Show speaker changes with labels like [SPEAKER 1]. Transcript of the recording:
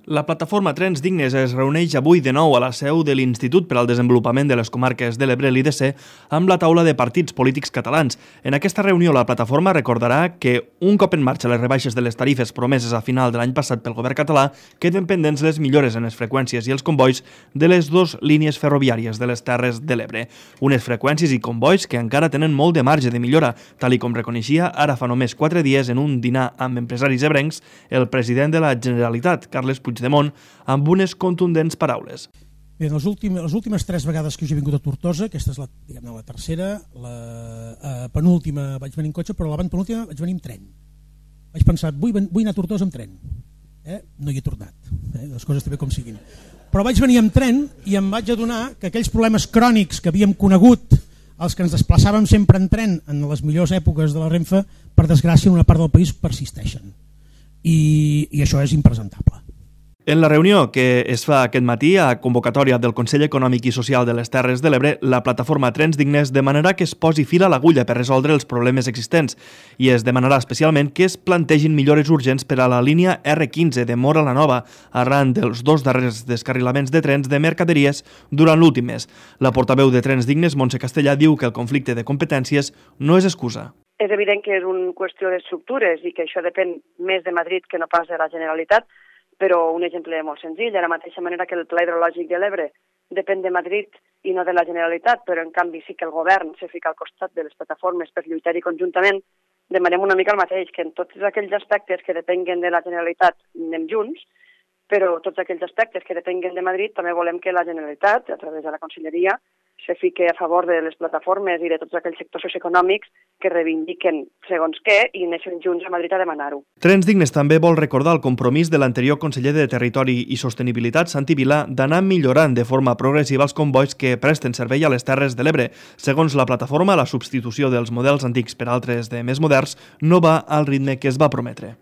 [SPEAKER 1] La plataforma Trens Dignes es reuneix avui de nou a la seu de l'Institut per al Desenvolupament de les Comarques de l'Ebre, l'IDC, amb la taula de partits polítics catalans. En aquesta reunió, la plataforma recordarà que, un cop en marxa les rebaixes de les tarifes promeses a final de l'any passat pel govern català, queden pendents les millores en les freqüències i els combois de les dues línies ferroviàries de les Terres de l'Ebre. Unes freqüències i combois que encara tenen molt de marge de millora, tal i com reconeixia ara fa només 4 dies en un dinar amb empresaris ebrencs el president de la Generalitat, Carles Puigdemont, amb unes contundents paraules.
[SPEAKER 2] Bé, les últimes 3 vegades que jo he vingut a Tortosa, aquesta és la tercera, la penúltima vaig venir en cotxe, però la penúltima vaig venir amb tren. Vaig pensar, vull anar a Tortosa amb tren. No hi he tornat, les coses també com siguin. Però vaig venir amb tren i em vaig adonar que aquells problemes crònics que havíem conegut, els que ens desplaçàvem sempre en tren en les millors èpoques de la Renfe, per desgràcia en una part del país persisteixen. I això és impresentable.
[SPEAKER 1] En la reunió que es fa aquest matí a convocatòria del Consell Econòmic i Social de les Terres de l'Ebre, la plataforma Trens Dignes demanarà que es posi fil a l'agulla per resoldre els problemes existents i es demanarà especialment que es plantegin millores urgents per a la línia R15 de Móra la Nova arran dels 2 darrers descarrilaments de trens de mercaderies durant l'últim mes. La portaveu de Trens Dignes, Montse Castellà, diu que el conflicte de competències no és excusa.
[SPEAKER 3] És evident que és una qüestió d'estructures i que això depèn més de Madrid que no pas de la Generalitat, però un exemple molt senzill, de la mateixa manera que el Pla Hidrològic de l'Ebre depèn de Madrid i no de la Generalitat, però en canvi sí que el govern se fica al costat de les plataformes per lluitar-hi conjuntament, demanem una mica el mateix, que en tots aquells aspectes que depenguen de la Generalitat anem junts, però tots aquells aspectes que depenguen de Madrid també volem que la Generalitat, a través de la Conselleria, se fique a favor de les plataformes i de tots aquells sectors socioeconòmics que reivindiquen segons què i neixen junts a Madrid a demanar-ho.
[SPEAKER 1] Trens Dignes també vol recordar el compromís de l'anterior conseller de Territori i Sostenibilitat, Santi Vilà, d'anar millorant de forma progressiva els combois que presten servei a les Terres de l'Ebre. Segons la plataforma, la substitució dels models antics per altres de més moderns no va al ritme que es va prometre.